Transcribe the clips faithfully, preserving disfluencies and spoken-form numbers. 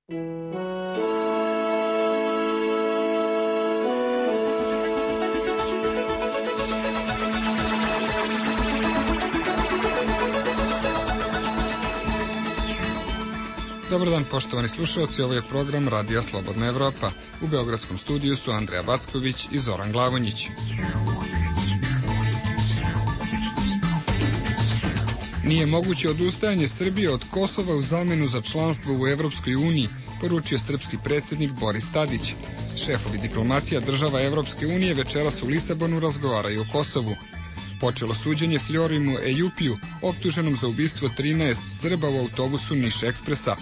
Dobar dan, poštovani slušalci, ovo je program Radija Slobodna Evropa. U beogradskom studiju su Andreja Backović i Zoran Glavonjić. Nije moguće odustajanje Srbije od Kosova u zamenu za članstvo u Evropskoj uniji, poručio srpski predsjednik Boris Tadić. Šefovi diplomatija država Evropske unije večeras u Lisabonu razgovaraju o Kosovu. Počelo suđenje Fjorimu Ejupiju, optuženom za ubistvo trinaest Srba u autobusu Niš Ekspresa.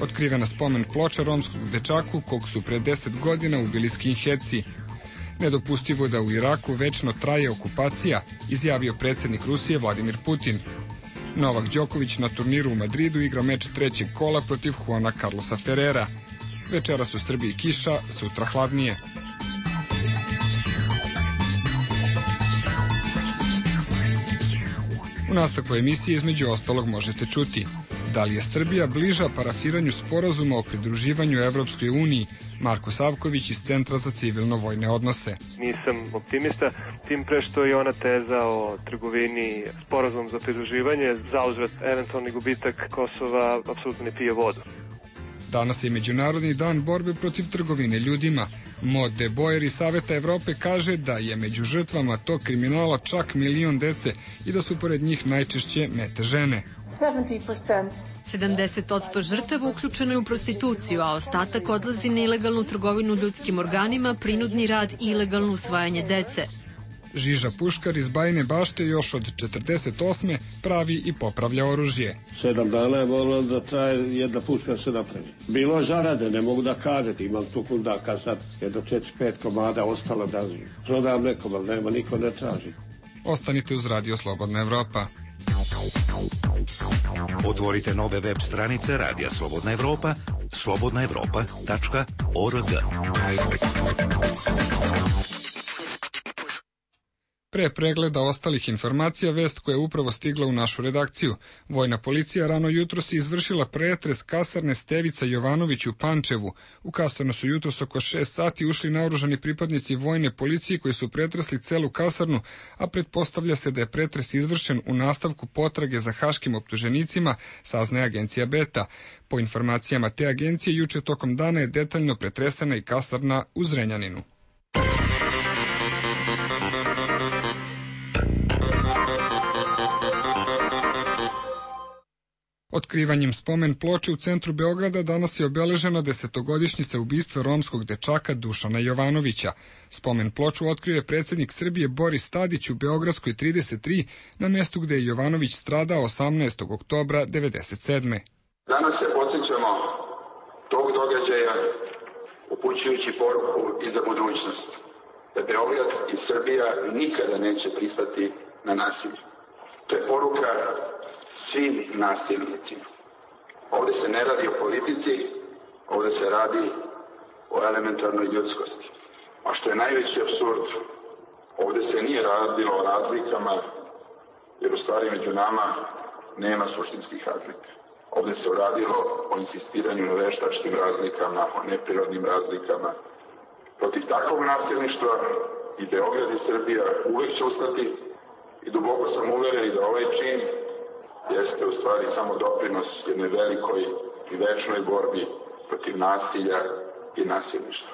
Otkrivena spomen ploča romskog dečaku kog su pre deset godina ubili skinheadsi. Nedopustivo da u Iraku večno traje okupacija, izjavio predsjednik Rusije Vladimir Putin. Novak Đoković na turniru u Madridu igra meč trećeg kola protiv Juana Carlosa Ferrera. Večeras u Srbiji kiša, sutra hladnije. U nastavku emisije između ostalog možete čuti: da li je Srbija bliža parafiranju sporazuma o pridruživanju Evropskoj uniji? Marko Savković iz Centra za civilno-vojne odnose. Nisam optimista, tim pre što je ona teza o trgovini, sporazum za pridruživanje, zauzvrat eventualni gubitak Kosova, apsolutno ne pije vodu. Danas je Međunarodni dan borbe protiv trgovine ljudima. Maud de Boer iz Saveta Evrope kaže da je među žrtvama tog kriminala čak milion dece i da su pored njih najčešće mete žene. sedamdeset posto žrtava uključeno je u prostituciju, a ostatak odlazi na ilegalnu trgovinu ljudskim organima, prinudni rad i ilegalno usvajanje dece. Žiža Puškar iz Bajine Bašte još od četrdeset osme pravi i popravlja oružje. Sedam dana je moralo da traje jedna puška se napravi. Bilo zarade, ne mogu da kažete, imam tu kundaka sad, jedno četiri pet komada ostalo da prodam nekom, ali nema, niko ne traži. Ostanite uz Radio Slobodna Evropa. Otvorite nove web stranice Radija Slobodna Evropa, slobodna evropa tačka org. Pre pregleda ostalih informacija, vest koja je upravo stigla u našu redakciju. Vojna policija rano jutros je izvršila pretres kasarne Stevica Jovanović u Pančevu. U kasarnu su jutros oko šest sati ušli naoružani pripadnici vojne policije koji su pretresli celu kasarnu, a pretpostavlja se da je pretres izvršen u nastavku potrage za haškim optuženicima, saznaje agencija Beta. Po informacijama te agencije, juče tokom dana je detaljno pretresena i kasarna u Zrenjaninu. Otkrivanjem spomen ploče u centru Beograda danas je obeležena desetogodišnjica ubistva romskog dečaka Dušana Jovanovića. Spomen ploču otkrio je predsjednik Srbije Boris Tadić u Beogradskoj trideset tri, na mjestu gde je Jovanović stradao osamnaestog oktobra devedeset sedme. Danas se podsjećamo tog događaja upućujući poruku i za budućnost, da Beograd i Srbija nikada neće pristati na nasilje. To je poruka svim nasilnicima. Ovdje se ne radi o politici, ovdje se radi o elementarnoj ljudskosti. A što je najveći apsurd, ovdje se nije radilo o razlikama, jer u stvari među nama nema suštinskih razlika. Ovdje se radilo o insistiranju na veštačkim razlikama, o neprirodnim razlikama. Protiv takvog nasilništva i Beograd i Srbija uvek će ustati i duboko sam uveren da ovaj čin jeste u stvari samo doprinos jedne velikoj i večnoj borbi protiv nasilja i nasilništva.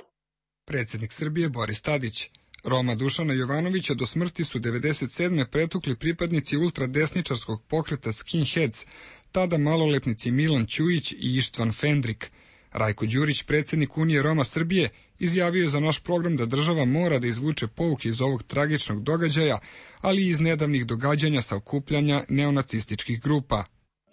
Predsjednik Srbije Boris Tadić. Roma Dušana Jovanovića do smrti su devedeset sedme pretukli pripadnici ultradesničarskog pokreta Skinheads, tada maloletnici Milan Ćujić i Ištvan Fendrik. Rajko Đurić, predsjednik Unije Roma Srbije, izjavio je za naš program da država mora da izvuče pouke iz ovog tragičnog događaja, ali i iz nedavnih događanja sa okupljanja neonacističkih grupa.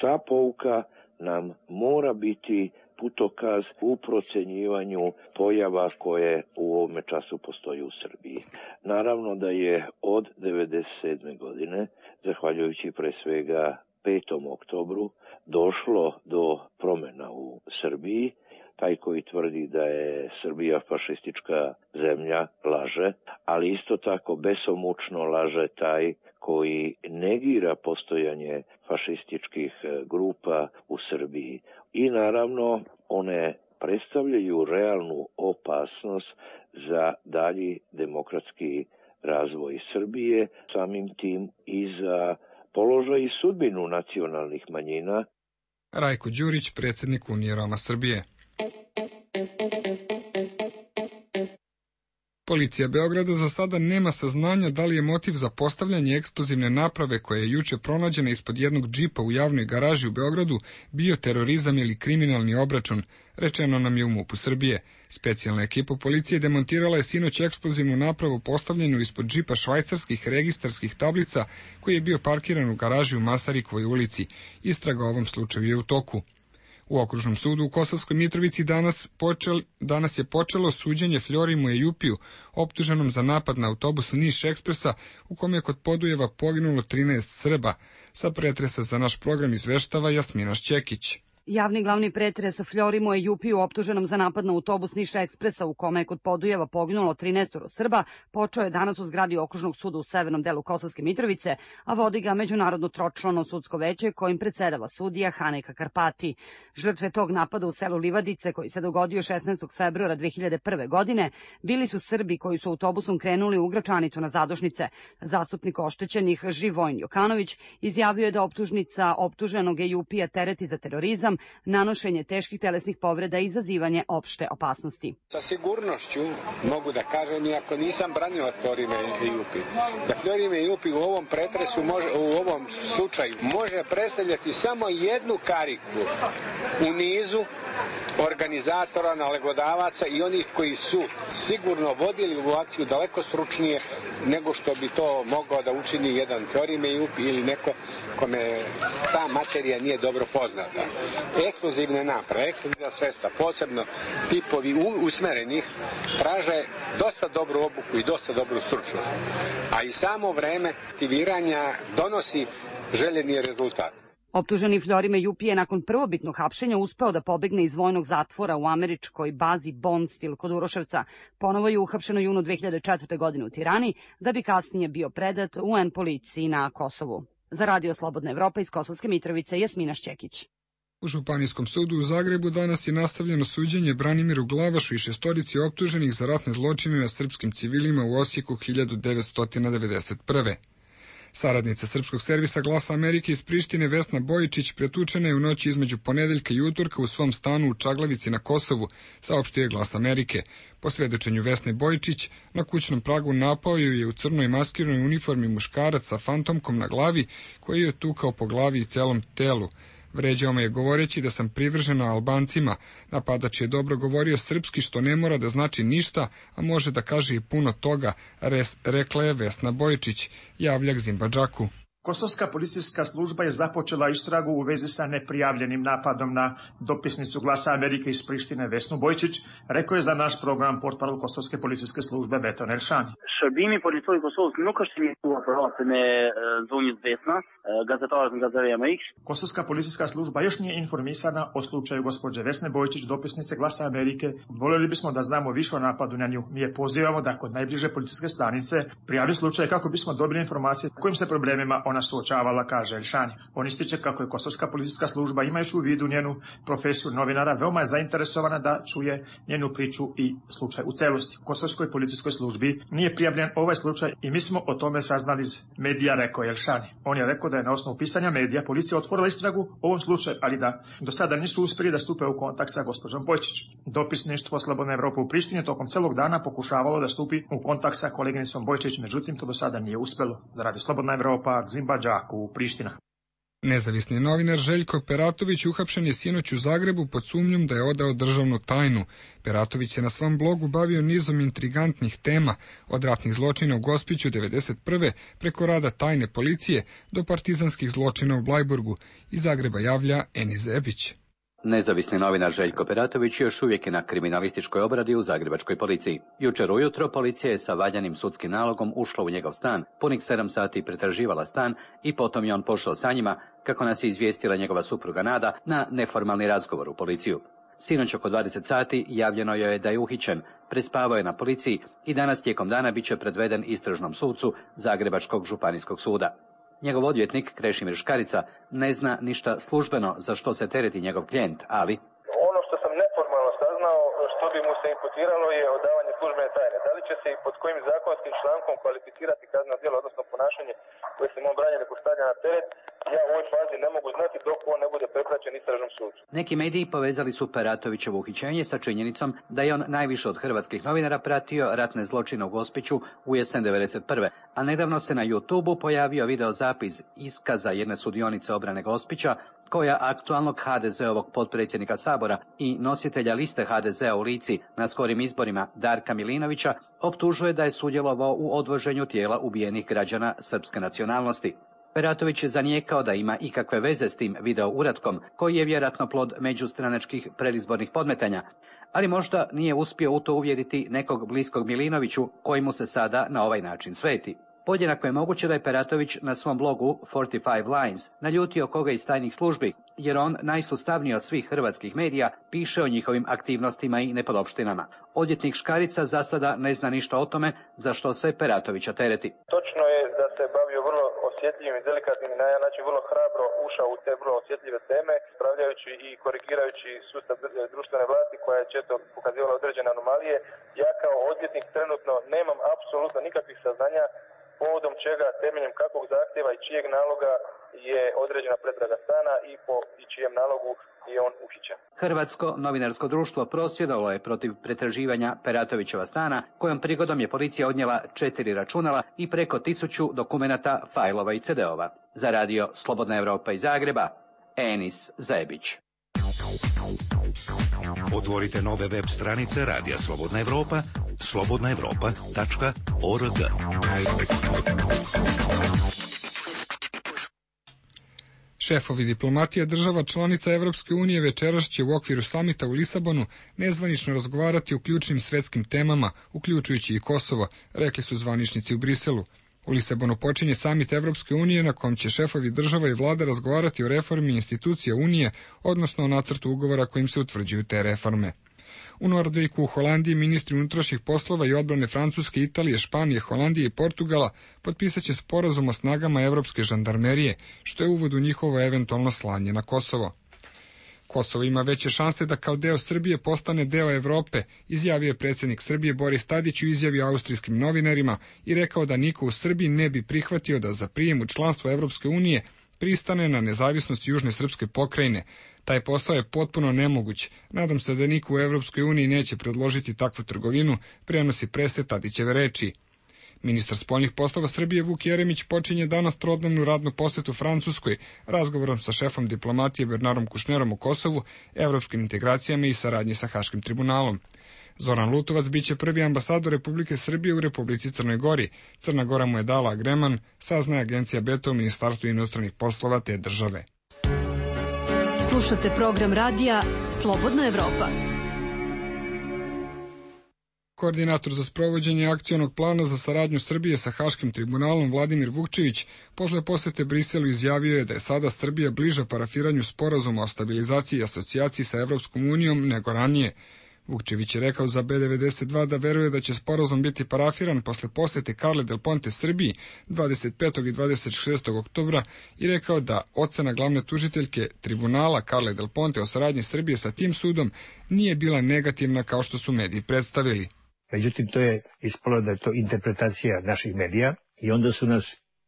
Ta pouka nam mora biti putokaz u procenjivanju pojava koje u ovome času postoji u Srbiji. Naravno da je od devedeset sedme godine, zahvaljujući pre svega petom oktobru, došlo do promjena u Srbiji. Taj koji tvrdi da je Srbija fašistička zemlja laže, ali isto tako besomučno laže taj koji negira postojanje fašističkih grupa u Srbiji. I naravno one predstavljaju realnu opasnost za dalji demokratski razvoj Srbije, samim tim i za položaj i sudbinu nacionalnih manjina. Rajko Đurić, predsjednik Unije Roma Srbije. Policija Beograda za sada nema saznanja da li je motiv za postavljanje eksplozivne naprave koja je juče pronađena ispod jednog džipa u javnoj garaži u Beogradu bio terorizam ili kriminalni obračun, rečeno nam je u MUP-u Srbije. Specijalna ekipa policije demontirala je sinoć eksplozivnu napravu postavljenu ispod džipa švajcarskih registarskih tablica koji je bio parkiran u garaži u Masarikovoj ulici. Istraga o ovom slučaju je u toku. U Okružnom sudu u Kosovskoj Mitrovici danas, počel, danas je počelo suđenje Fljorimu Ejupiju, optuženom za napad na autobus Niš Ekspresa, u kome je kod Podujeva poginulo trinaest Srba. Sa pretresa za naš program izveštava Jasmina Šćekić. Javni glavni pretres Fljorimu Ejupiju, optuženom za napad na autobus Niš Ekspresa u kome je kod Podujeva poginulo trinaest Srba, počeo je danas u zgradi Okružnog suda u severnom delu Kosovske Mitrovice, a vodi ga međunarodno tročlano sudsko veće kojim predsedava sudija Haneka Karpati. Žrtve tog napada u selu Livadice, koji se dogodio šesnaestog februara dve hiljade prve. godine, bili su Srbi koji su autobusom krenuli u Gračanicu na Zadušnice. Zastupnik oštećenih Živojin Jokanović izjavio je da optužnica optuženog Ejupija tereti za terorizam, nanošenje teških telesnih povreda i izazivanje opšte opasnosti. Sa sigurnošću mogu da kažem, iako nisam branio Florime Ejupi, da Florime Ejupi u ovom pretresu, može, u ovom slučaju, može predstavljati samo jednu kariku u nizu organizatora, nalegodavaca i onih koji su sigurno vodili u akciju daleko stručnije nego što bi to mogao da učini jedan Florime Ejupi ili neko kome ta materija nije dobro poznata. Eksplozivne naprave, eksplozivna sredstva, posebno tipovi usmerenih, traže dosta dobru obuku i dosta dobru stručnost. A i samo vreme aktiviranja donosi željeni rezultat. Optuženi Fljorime Ejupije je nakon prvobitnog hapšenja uspeo da pobegne iz vojnog zatvora u američkoj bazi Bonstil kod Uroševca. Ponovo je uhapšen u junu dve hiljade četvrte. godine u Tirani, da bi kasnije bio predat U N policiji na Kosovu. Za Radio Slobodna Evropa iz Kosovske Mitrovice, Jasmina Šćekić. U Županijskom sudu u Zagrebu danas je nastavljeno suđenje Branimiru Glavašu i šestorici optuženih za ratne zločine na srpskim civilima u Osijeku hiljadu devetsto devedeset prve. Saradnica srpskog servisa Glasa Amerike iz Prištine Vesna Bojičić pretučena je u noći između ponedeljka i utorka u svom stanu u Čaglavici na Kosovu, saopštio je Glas Amerike. Po svedočenju Vesne Bojičić, na kućnom pragu napao ju je u crnoj maskiranoj uniformi muškarac sa fantomkom na glavi, koji je tukao po glavi i celom telu. Vređao me je govoreći da sam privržena Albancima. Napadač je dobro govorio srpski, što ne mora da znači ništa, a može da kaže i puno toga, res, rekla je Vesna Bojičić, javlja Zimbadžaku. Kosovska policijska služba je započela istragu u vezi sa neprijavljenim napadom na dopisnicu Glasa Amerike iz Prištine Vesnu Bojičić, rekao je za naš program portparol Kosovske policijske službe Beton Elshani. Shërbimi policisë Kosovës nuk është iniciuar për rastin e zonjës Vesna, gazetarët nga Zëri Amerikës. Kosovska policijska služba još nije informisana o slučaju gospođe Vesne Bojičić, dopisnice Glasa Amerike. Voljeli bismo da znamo više o napadu na nju. Mi je pozivamo da kod najbliže policijske stanice prijavi slučaj kako bismo dobili informacije s kojim se problemima ona suočavala, kaže Elshani. On ističe kako je Kosovska policijska služba, imajući u vidu njenu profesiju novinara, veoma je zainteresovana da čuje njenu priču i slučaj u celosti. U Kosovskoj policijskoj službi nije prijavljen ovaj slučaj i mi smo o tome saznali iz medija, rekao je Elshani. On je rekao da je na osnovu pisanja medija policija otvorila istragu o ovom slučaju, ali da do sada nisu uspjeli da stupe u kontakt sa gospođom Bojičić. Dopisništvo Slobodna Evropa u Prištini tokom celog dana pokušavalo da stupi u kontakt sa koleginicom Bojičić, međutim to do sada nije uspelo. Za Radio Slobodna Evropa, Zimbadžaku, Priština. Nezavisni novinar Željko Peratović uhapšen je sinoć u Zagrebu pod sumnjom da je odao državnu tajnu. Peratović se na svom blogu bavio nizom intrigantnih tema, od ratnih zločina u Gospiću devedeset prve preko rada tajne policije do partizanskih zločina u Blajburgu. Iz Zagreba javlja Eni Zebić. Nezavisni novinar Željko Peratović još uvijek je na kriminalističkoj obradi u zagrebačkoj policiji. Jučer ujutro policija je sa valjanim sudskim nalogom ušla u njegov stan, punih sedam sati pretraživala stan i potom je on pošao sa njima, kako nas je izvijestila njegova supruga Nada, na neformalni razgovor u policiju. Sinoć oko dvadeset sati javljeno joj je da je uhićen, prespavao je na policiji i danas tijekom dana bit će predveden istražnom sucu Zagrebačkog županijskog suda. Njegov odvjetnik, Krešimir Škarica, ne zna ništa službeno za što se tereti njegov klijent, ali... Ono što sam neformalno što bi mu se imputiralo je odavanje službene tajne. Da li će se i pod kojim zakonskim člankom kvalificirati kazneno djelo, odnosno ponašanje koje se mu branje neko stavlja na teret, ja u ovoj fazi ne mogu znati dok on ne bude prepraćen istražnom sudu. Neki mediji povezali su Peratovićevo uhićenje sa činjenicom da je on najviše od hrvatskih novinara pratio ratne zločine u Gospiću u jesen devedeset prve. A nedavno se na YouTubeu pojavio videozapis iskaza jedne sudionice obrane Gospića, koja aktualnog ha de zeovog potpredsjednika Sabora i nositelja liste ha de zea u Lici na skorim izborima Darka Milinovića optužuje da je sudjelovao u odvoženju tijela ubijenih građana srpske nacionalnosti. Peratović je zanijekao da ima ikakve veze s tim video uratkom, koji je vjerojatno plod međustranačkih predizbornih podmetanja, ali možda nije uspio u to uvjeriti nekog bliskog Milinoviću, koji mu se sada na ovaj način sveti. Podjednako je moguće da je Peratović na svom blogu četrdeset pet Lines naljutio koga iz tajnih službi, jer on, najsustavniji od svih hrvatskih medija, piše o njihovim aktivnostima i nepodopštinama. Odvjetnik Škarica za sada ne zna ništa o tome za što se Peratovića tereti. Točno je da se bavio vrlo osjetljivim i delikatnim i na jedan način vrlo hrabro ušao u te vrlo osjetljive teme, spravljajući i korigirajući sustav društvene vlasti koja je često pokazivala određene anomalije. Ja kao odvjetnik trenutno nemam apsolutno nikakvih saznanja povodom čega, temeljem kakvog zahtjeva i čijeg naloga je određena pretraga stana i po i čijem nalogu je on uhićen. Hrvatsko novinarsko društvo prosvjedovalo je protiv pretraživanja Peratovićeva stana, kojom prigodom je policija odnijela četiri računala i preko tisuću dokumenata, fajlova i cedeova. Za radio Slobodna Evropa iz Zagreba, Enis Zebić. Otvorite nove web stranice Radija Slobodna Evropa, slobodna evropa tačka org. Šefovi diplomatija država članica Evropske unije večeras će u okviru samita u Lisabonu nezvanično razgovarati o ključnim svetskim temama, uključujući i Kosovo, rekli su zvaničnici u Briselu. U Lisabonu počinje samit Evropske unije na kom će šefovi država i vlada razgovarati o reformi institucija Unije, odnosno o nacrtu ugovora kojim se utvrđuju te reforme. U Nordviku u Holandiji ministri unutrašnjih poslova i odbrane Francuske, Italije, Španije, Holandije i Portugala potpisat će sporazum o snagama evropske žandarmerije, što je uvod u njihovo eventualno slanje na Kosovo. Kosovo ima veće šanse da kao deo Srbije postane deo Evrope, izjavio je predsjednik Srbije Boris Tadić u izjavi austrijskim novinarima i rekao da niko u Srbiji ne bi prihvatio da za prijem u članstvo Evropske unije pristane na nezavisnost južne srpske pokrajine. Taj posao je potpuno nemoguć. Nadam se da niko u Evropskoj uniji neće predložiti takvu trgovinu, prenosi prese Tadićeve reči. Ministar spoljnih poslova Srbije Vuk Jeremić počinje danas trodnevnu radnu posetu Francuskoj, razgovorom sa šefom diplomatije Bernarom Kušnerom u Kosovu, evropskim integracijama i saradnji sa Haškim tribunalom. Zoran Lutovac biće prvi ambasador Republike Srbije u Republici Crnoj Gori. Crna Gora mu je dala agreman, saznaje agencija Beta u Ministarstvu inostranih poslova te države. Slušate program radija Slobodna Evropa. Koordinator za sprovođenje akcionog plana za saradnju Srbije sa Haškim tribunalom Vladimir Vukčević posle posete Briselu izjavio je da je sada Srbija bliža parafiranju sporazuma o stabilizaciji i asocijaciji sa Evropskom unijom nego ranije. Vukčević je rekao za be devedeset dva da veruje da će sporazum biti parafiran posle posete Carle Del Ponte Srbiji dvadeset petog i dvadeset šestog oktobra i rekao da ocena glavne tužiteljke tribunala Carle Del Ponte o saradnji Srbije sa tim sudom nije bila negativna kao što su mediji predstavili. Međutim, to je ispalo da je to interpretacija naših medija i onda su nas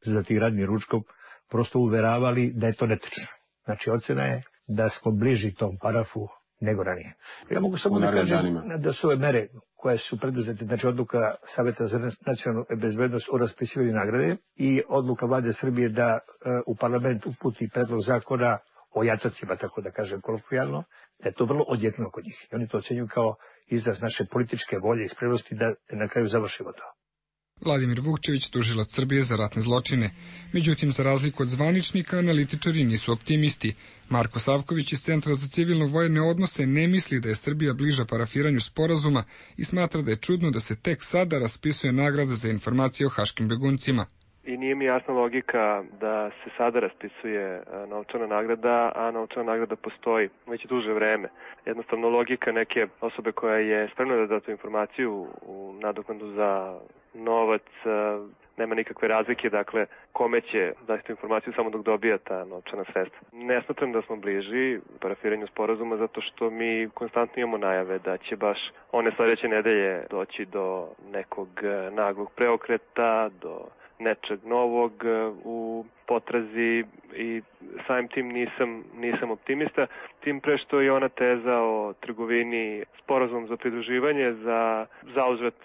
za ti radni ručkom prosto uveravali da je to netačno. Znači, ocena je da smo bliži tom parafu nego ranije. Ja mogu samo da kažem da su ove mere koje su preduzete, znači odluka Saveta za nacionalnu bezbednost o raspisivanju nagrade i odluka vlade Srbije da e, u parlament uputi predlog zakona o jatacima, tako da kažem kolokvijalno, da je to vrlo odjeknuo kod njih. I oni to ocenjuju kao izraz naše političke volje i spremnosti da na kraju završimo to. Vladimir Vukčević, tužilac Srbije za ratne zločine. Međutim, za razliku od zvaničnika, analitičari nisu optimisti. Marko Savković iz Centra za civilno-vojne odnose ne misli da je Srbija bliža parafiranju sporazuma i smatra da je čudno da se tek sada raspisuje nagrada za informacije o haškim beguncima. I nije mi jasna logika da se sada raspisuje novčana nagrada, a novčana nagrada postoji već duže vreme. Jednostavno logika neke osobe koja je spremna da da tu informaciju u nadoknadu za novac nema nikakve razlike, dakle, kome će zaista informaciju samo dok dobija ta novčana sredstva. Ne smatram da smo bliži parafiranju sporazuma zato što mi konstantno imamo najave da će baš one sledeće nedelje doći do nekog naglog preokreta, do nečeg novog u potrazi i samim tim nisam, nisam optimista, tim pre što je ona teza o trgovini sporazum za pridruživanje za zauzvrat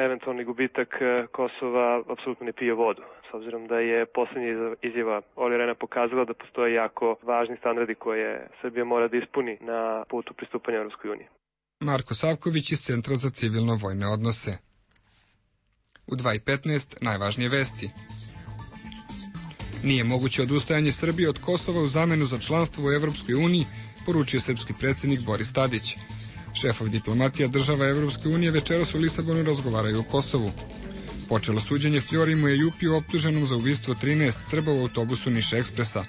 eventualni gubitak Kosova apsolutno ne pije vodu. S obzirom da je poslednja izjava Olli Rehna pokazala da postoje jako važni standardi koje Srbija mora da ispuni na putu pristupanja Evropskoj uniji. Marko Savković iz Centra za civilno-vojne odnose. U dva i petnaest najvažnije vesti. Nije moguće odustajanje Srbije od Kosova u zamenu za članstvo u Evropskoj uniji, poručio srpski predsjednik Boris Tadić. Šefovi diplomatija država Evropske unije večeras u Lisabonu razgovaraju o Kosovu. Počelo suđenje Fjorimu Ejupiju optuženom za ubistvo trinaest Srba u autobusu Niš Ekspresa.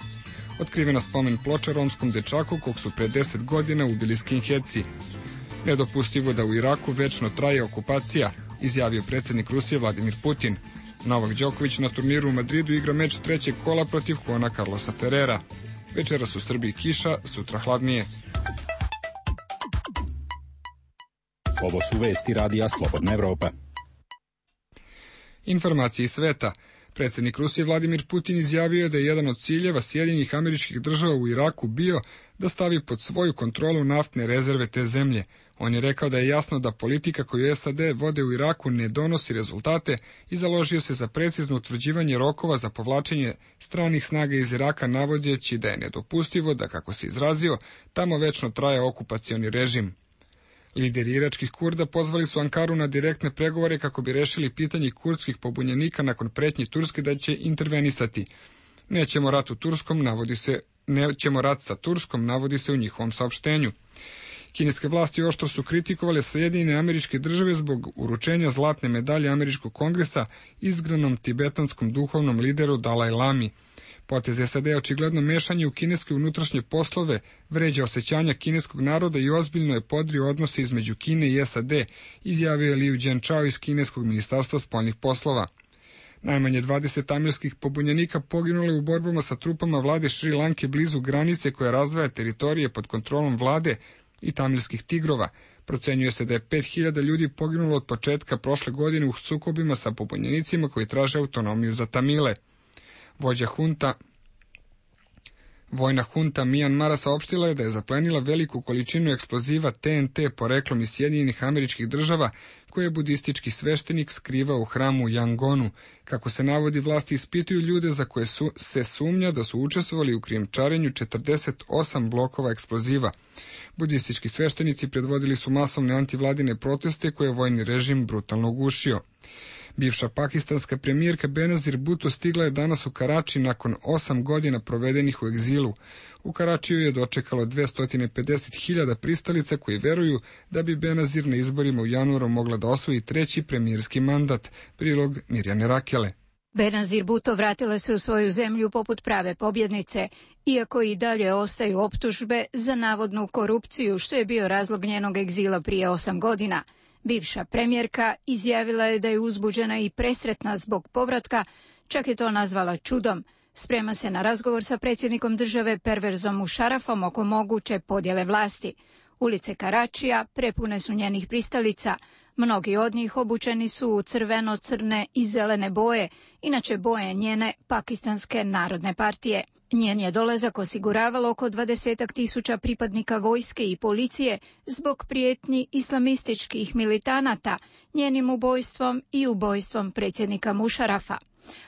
Otkrivena spomen ploča romskom dečaku kog su pre deset godina ubili skinheadsi. Nedopustivo da u Iraku večno traje okupacija, izjavio predsjednik Rusije Vladimir Putin. Novak Đoković na turniru u Madridu igra meč trećeg kola protiv Juana Carlosa Ferrera. Večeras u Srbiji kiša, sutra hladnije. Ovo su vesti radija Slobodna Evropa. Informacije iz sveta. Predsjednik Rusije Vladimir Putin izjavio je da je jedan od ciljeva Sjedinjenih Američkih Država u Iraku bio da stavi pod svoju kontrolu naftne rezerve te zemlje. On je rekao da je jasno da politika koju S A D vode u Iraku ne donosi rezultate i založio se za precizno utvrđivanje rokova za povlačenje stranih snaga iz Iraka, navodeći da je nedopustivo da, kako se izrazio, tamo večno traje okupacioni režim. Lideri iračkih Kurda pozvali su Ankaru na direktne pregovore kako bi rešili pitanje kurdskih pobunjenika nakon pretnji Turske da će intervenisati. Nećemo rat u Turskom, navodi se, nećemo rat sa Turskom, navodi se u njihovom saopštenju. Kineske vlasti oštro su kritikovale Sjedinjene Američke Države zbog uručenja zlatne medalje Američkog kongresa izgranom tibetanskom duhovnom lideru Dalaj Lami. Potez S A D očigledno mešanje u kineske unutrašnje poslove vređa osjećanja kineskog naroda i ozbiljno je podrio odnose između Kine i S A D, izjavio je Liu Jianchao iz kineskog ministarstva spoljnih poslova. Najmanje dvadeset tamilskih pobunjenika poginulo je u borbama sa trupama vlade Šri Lanke blizu granice koja razdvaja teritorije pod kontrolom vlade i tamilskih tigrova. Procenjuje se da je pet hiljada ljudi poginulo od početka prošle godine u sukobima sa pobunjenicima koji traže autonomiju za Tamile. Vođa hunta, vojna hunta Mijanmara saopštila je da je zaplenila veliku količinu eksploziva T N T poreklom iz Sjedinjenih Američkih Država koje je budistički sveštenik skrivao u hramu u Yangonu. Kako se navodi, vlasti ispituju ljude za koje su, se sumnja da su učestvovali u krijumčarenju četrdeset osam blokova eksploziva. Budistički sveštenici predvodili su masovne antivladine proteste koje je vojni režim brutalno ugušio. Bivša pakistanska premijerka Benazir Bhutto stigla je danas u Karači nakon osam godina provedenih u egzilu. U Karačiju je dočekalo dvesta pedeset hiljada pristalica koji veruju da bi Benazir na izborima u januaru mogla da osvoji treći premijerski mandat. Prilog Mirjane Rakele. Benazir Bhutto vratila se u svoju zemlju poput prave pobjednice, iako i dalje ostaju optužbe za navodnu korupciju, što je bio razlog njenog egzila prije osam godina. Bivša premijerka izjavila je da je uzbuđena i presretna zbog povratka, čak je to nazvala čudom. Sprema se na razgovor sa predsjednikom države Pervezom Musharrafom oko moguće podjele vlasti. Ulice Karačija prepune su njenih pristalica. Mnogi od njih obučeni su u crveno-crne i zelene boje, inače boje njene Pakistanske narodne partije. Njen je dolazak osiguravalo oko dvadesetak tisuća pripadnika vojske i policije zbog prijetnji islamističkih militanata, njenim ubojstvom i ubojstvom predsjednika Musharrafa.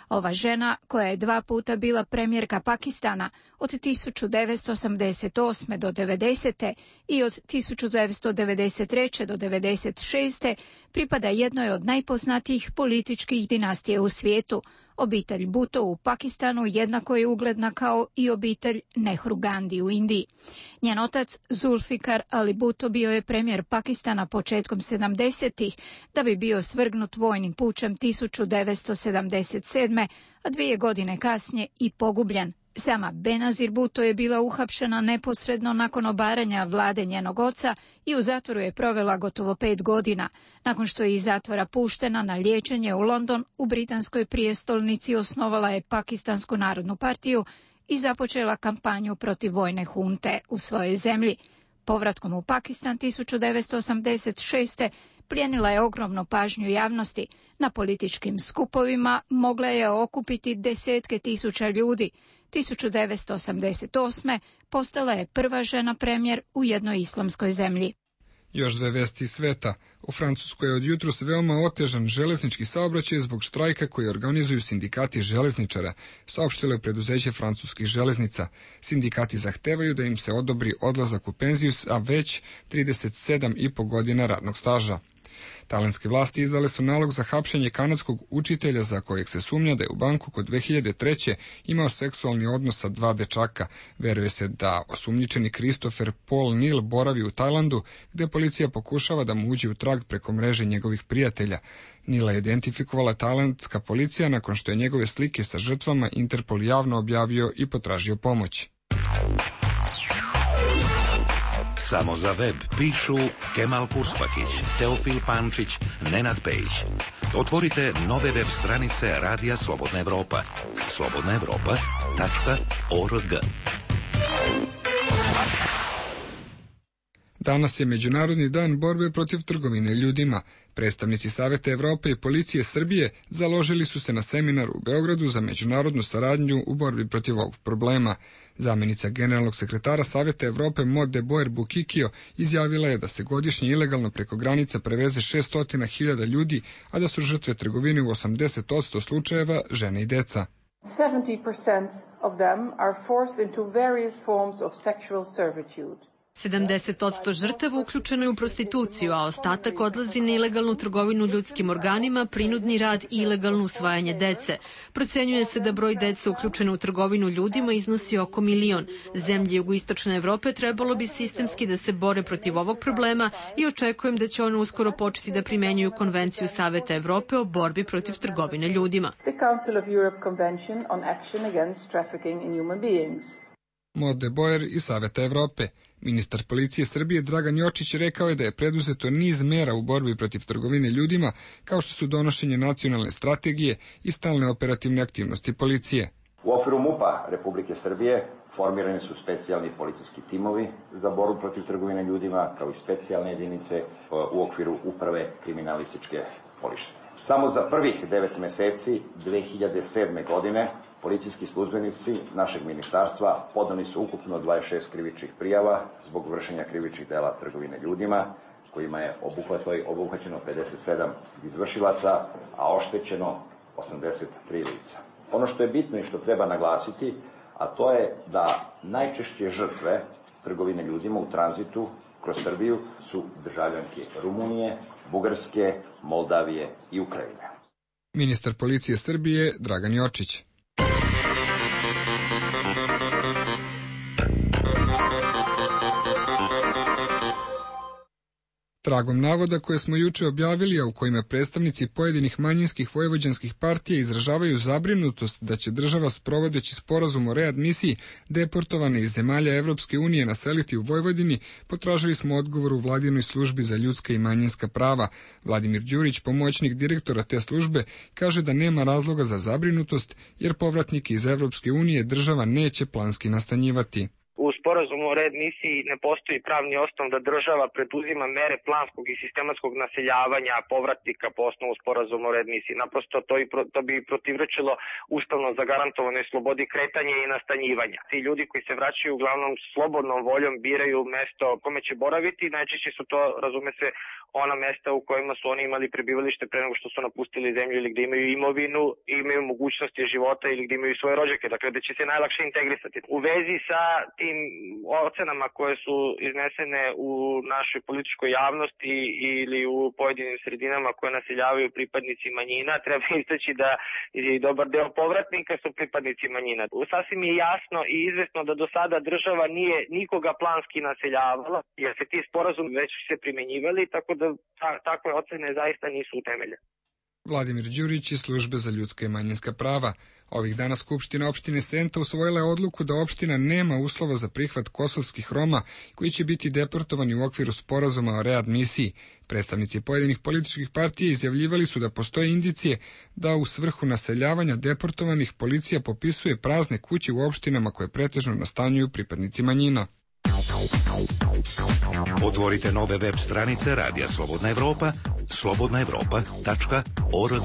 Ova žena, koja je dva puta bila premijerka Pakistana od tisuću devetsto osamdeset osme do devedesete i od tisuću devetsto devedeset treće do devedeset šeste, pripada jednoj od najpoznatijih političkih dinastija u svijetu. Obitelj Bhutto u Pakistanu jednako je ugledna kao i obitelj Nehru Gandhi u Indiji. Njen otac Zulfikar Ali Bhutto bio je premijer Pakistana početkom sedamdesetih, da bi bio svrgnut vojnim pučem tisuću devetsto sedamdeset sedme, a dvije godine kasnije i pogubljen. Sama Benazir Bhutto je bila uhapšena neposredno nakon obaranja vlade njenog oca i u zatvoru je provela gotovo pet godina. Nakon što je iz zatvora puštena na liječenje u London, u britanskoj prijestolnici osnovala je Pakistansku narodnu partiju i započela kampanju protiv vojne hunte u svojoj zemlji. Povratkom u Pakistan tisuću devetsto osamdeset šeste. plijenila je ogromnu pažnju javnosti. Na političkim skupovima mogla je okupiti desetke tisuća ljudi. tisuću devetsto osamdeset osme. postala je prva žena premijer u jednoj islamskoj zemlji. Još dve vesti iz sveta. U Francuskoj je od jutros veoma otežan železnički saobraćaj zbog štrajka koji organizuju sindikati železničara, saopštilo je preduzeće francuskih železnica. Sindikati zahtevaju da im se odobri odlazak u penziju, a već trideset sedam i po godina radnog staža. Tajlandske vlasti izdale su nalog za hapšenje kanadskog učitelja za kojeg se sumnja da je u Bangkoku dve hiljade treće. imao seksualni odnos sa dva dečaka. Veruje se da osumnjičeni Christopher Paul Neal boravi u Tajlandu, gde policija pokušava da mu uđe u trag preko mreže njegovih prijatelja. Neala je identifikovala tajlandska policija nakon što je njegove slike sa žrtvama Interpol javno objavio i potražio pomoć. Samo za web pišu Kemal Kurspakić, Teofil Pančić, Nenad Pejić. Otvorite nove web stranice Radija Slobodna Evropa. slobodna evropa tačka org. Danas je Međunarodni dan borbe protiv trgovine ljudima. Predstavnici Saveta Evrope i policije Srbije založili su se na seminaru u Beogradu za međunarodnu saradnju u borbi protiv ovog problema. Zamenica generalnog sekretara Saveta Evrope Maud de Boer Bukikio izjavila je da se godišnje ilegalno preko granica preveze šessto hiljada ljudi, a da su žrtve trgovine u osamdeset posto slučajeva žene i deca. seventy percent of them are forced into various forms of sexual servitude. sedamdeset posto žrtava uključeno je u prostituciju, a ostatak odlazi na ilegalnu trgovinu ljudskim organima, prinudni rad i ilegalno usvajanje dece. Procenjuje se da broj dece uključeno u trgovinu ljudima iznosi oko milion. Zemlje jugoistočne Evrope trebalo bi sistemski da se bore protiv ovog problema i očekujem da će one uskoro početi da primenjuju Konvenciju Saveta Evrope o borbi protiv trgovine ljudima. The Council of Europe Convention on Action Against Trafficking in Human Beings. Maud de Boer iz Saveta Evrope. Ministar policije Srbije Dragan Jočić rekao je da je preduzeto niz mera u borbi protiv trgovine ljudima, kao što su donošenje nacionalne strategije i stalne operativne aktivnosti policije. U okviru MUP-a Republike Srbije formirani su specijalni policijski timovi za borbu protiv trgovine ljudima, kao i specijalne jedinice u okviru uprave kriminalističke policije. Samo za prvih devet meseci dve hiljade sedme. godine policijski službenici našeg ministarstva podneli su ukupno dvadeset šest krivičnih prijava zbog vršenja krivičnih dela trgovine ljudima, kojima je obuhvaćeno pedeset sedam izvršilaca, a oštećeno osamdeset tri lica. Ono što je bitno i što treba naglasiti, a to je da najčešće žrtve trgovine ljudima u tranzitu kroz Srbiju su državljanke Rumunije, Bugarske, Moldavije i Ukrajine. Ministar policije Srbije Dragan Jočić. Tragom navoda koje smo juče objavili, a u kojima predstavnici pojedinih manjinskih vojvođanskih partija izražavaju zabrinutost da će država sprovodeći sporazum o readmisiji deportovane iz zemalja Evropske unije naseliti u Vojvodini, potražili smo odgovor u Vladinoj službi za ljudska i manjinska prava. Vladimir Đurić, pomoćnik direktora te službe, kaže da nema razloga za zabrinutost, jer povratnike iz Evropske unije država neće planski nastanjivati. U sporazumu o readmisiji ne postoji pravni osnov da država preduzima mere planskog i sistematskog naseljavanja povratnika po osnovu sporazuma o readmisiji. Naprosto to, i pro, to bi protivrečilo ustavno zagarantovanoj slobodi kretanja i nastanjivanja. Ti ljudi koji se vraćaju uglavnom slobodnom voljom biraju mesto kome će boraviti, najčešće su to, razume se, ona mesta u kojima su oni imali prebivalište pre nego što su napustili zemlju ili gde imaju imovinu, imaju mogućnosti života ili gde imaju svoje rođake, dakle da će se najlakše integrisati. U vezi sa tim ocenama koje su iznesene u našoj političkoj javnosti ili u pojedinim sredinama koje naseljavaju pripadnici manjina, treba istaći da i dobar deo povratnika su pripadnici manjina. Sasvim je jasno i izvesno da do sada država nije nikoga planski naseljavala, jer se ti sporazumi već se primenjivali, tako da ta, takve ocene zaista nisu utemeljene. Vladimir Đurić iz Službe za ljudska i manjinska prava. Ovih dana Skupština opštine Senta usvojila je odluku da opština nema uslova za prihvat kosovskih Roma koji će biti deportovani u okviru sporazuma o readmisiji. Predstavnici pojedinih političkih partija izjavljivali su da postoje indicije da u svrhu naseljavanja deportovanih policija popisuje prazne kuće u opštinama koje pretežno nastanjuju pripadnici manjina. Otvorite nove web stranice Radija Slobodna Evropa, slobodna evropa tačka org.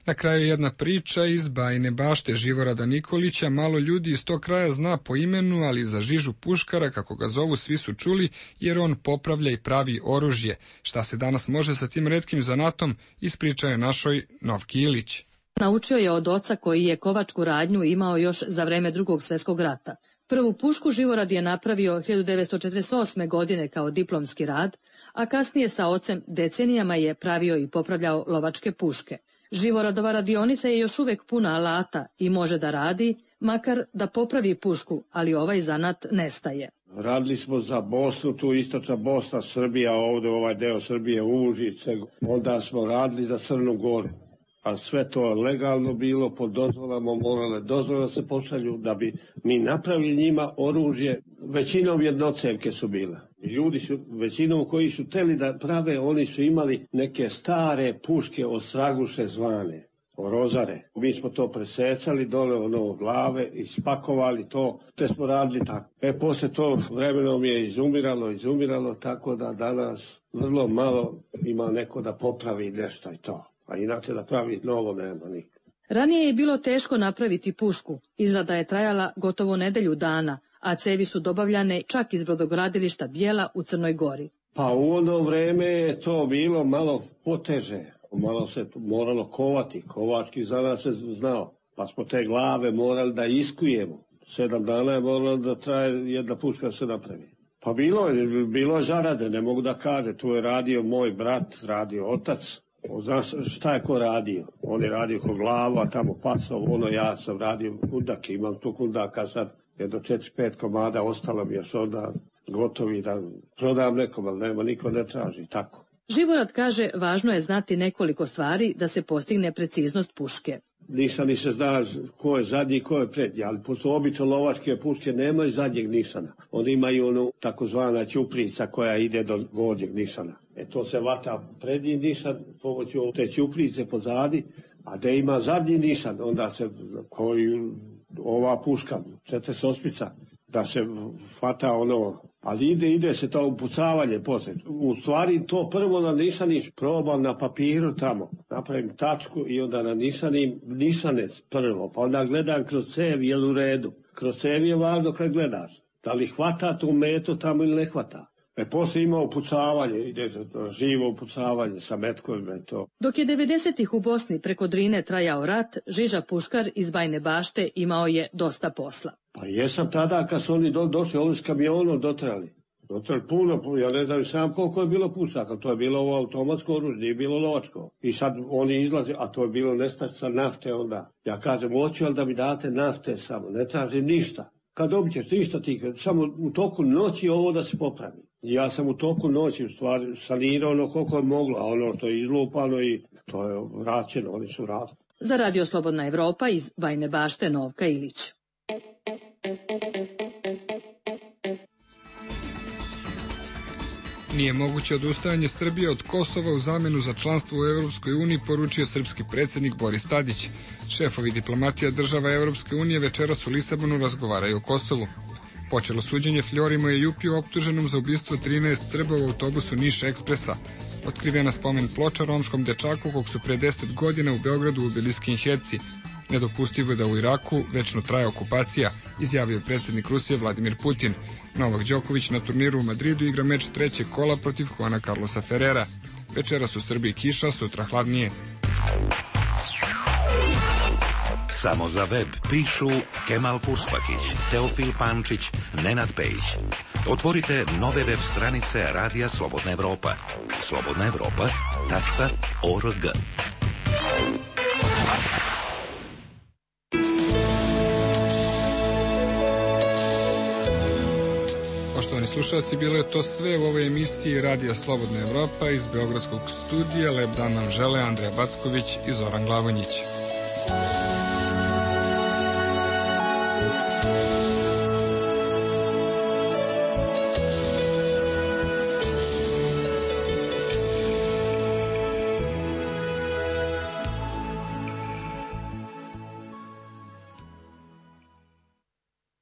Na kraju jedna priča iz Bajine Bašte Živorada Nikolića. Malo ljudi iz tog kraja zna po imenu, ali za Žižu Puškara, kako ga zovu, svi su čuli, jer on popravlja i pravi oružje. Šta se danas može sa tim retkim zanatom, ispričao je našoj Novki Ilić. Naučio je od oca koji je kovačku radnju imao još za vreme Drugog svjetskog rata. Prvu pušku Živorad je napravio hiljadu devetsto četrdeset osme. godine kao diplomski rad, a kasnije sa ocem decenijama je pravio i popravljao lovačke puške. Živoradova radionica je još uvek puna alata i može da radi, makar da popravi pušku, ali ovaj zanat nestaje. Radili smo za Bosnu, tu istočna Bosna, Srbija, ovdje ovaj deo Srbije, Užice. Onda smo radili za Crnu Goru. A sve to legalno bilo, pod dozvolama morale dozvola se pošalju da bi mi napravili njima oružje. Većinom jednocevke su bile. Ljudi su, većinom koji su teli da prave, oni su imali neke stare puške od Straguše zvane, rozare. Mi smo to presecali dole ono glave i spakovali to, te smo radili tako. E, posle to vremenom je izumiralo, izumiralo, tako da danas vrlo malo ima neko da popravi nešto i to. A inače da pravi novo nema nikad. Ranije je bilo teško napraviti pušku. Izrada je trajala gotovo nedelju dana, a cevi su dobavljane čak iz brodogradilišta Bijela u Crnoj Gori. Pa u ono vreme je to bilo malo poteže. Malo se moralo kovati. Kovački za nas se znao. Pa smo te glave morali da iskujemo. Sedam dana je moralo da traje jedna puška da se napravi. Pa bilo je, bilo je zarade, ne mogu da kaže. Tu je radio moj brat, radio otac. Znaš šta je ko radio? On je radio ko glava, tamo pasao, ono ja sam radio kundake, imam tu kundaka sad, jedno četiri pet komada, ostalo mi još onda gotovi da prodam nekom, ali nema, niko ne traži, tako. Živorad kaže, važno je znati nekoliko stvari da se postigne preciznost puške. Nisam ni se zna ko je zadnji i ko je prednji, ali pošto obično lovačke puške nemaju zadnjeg nišana. Oni imaju onu takozvana ćuprica koja ide do gornjeg nišana. E to se vata prednji nišan pomoću te ćuprice pozadi, a da ima zadnji nišan, onda se koji ova puška, četrdeset osmica, da se hvata ono, ali ide, ide se to upucavanje poslije. U stvari to prvo na nišaniš probam na papiru tamo, napravim tačku i onda na nišanim nišanec prvo, pa onda gledam kroz cev, jel u redu. Kroz cev je važno kad gledaš, da li hvata tu metu tamo ili ne hvata. E, poslije ima upucavanje, ide živo upucavanje sa metkovima i to. Dok je devedesetih u Bosni preko Drine trajao rat, Žiža Puškar iz Bajne Bašte imao je dosta posla. Pa jesam tada kad su oni do, došli ovdje s kamionom dotrali. Dotrali puno, ja ne znam sam koliko je bilo pušaka, to je bilo ovo automatsko oružje, nije bilo lovačko. I sad oni izlaze, a to je bilo nestašica nafte onda. Ja kažem, hoću ali da mi date nafte samo, ne tražim ništa. Kad dobit ćeš ništa ti, samo u toku noći ovo da se popravi. Ja sam u toku noći u stvari sanirao ono koliko je moglo, a ono što je izlupano i to je vraćeno, oni su radili. Za Radio Slobodna Evropa iz Bajne Bašte Novka Ilić. Nije moguće odustajanje Srbije od Kosova u zamenu za članstvo u Evropskoj uniji, poručio srpski predsjednik Boris Tadić. Šefovi diplomatija država Evropske unije večeras u Lisabonu razgovaraju o Kosovu. Počelo suđenje Fljorimo i Jupiju optuženom za ubistvo trinaest Srba u autobusu Niš Ekspresa. Otkrivena spomen ploča romskom dečaku kog su pre deset godina u Beogradu ubili skinheadci. Nedopustivo je da u Iraku večno traje okupacija, izjavio predsjednik Rusije Vladimir Putin. Novak Đoković na turniru u Madridu igra meč trećeg kola protiv Juana Carlosa Ferrera. Večeras u Srbiji kiša, sutra hladnije. Samo za web pišu Kemal Kurspakić, Teofil Pančić, Nenad Pejić. Otvorite nove web stranice Radija Slobodna Evropa. slobodna evropa tačka org. Poštovani slušalci, bilo je to sve u ovoj emisiji Radija Slobodna Evropa iz Beogradskog studija. Lep dan nam žele Andreja Backović i Zoran Glavonjić.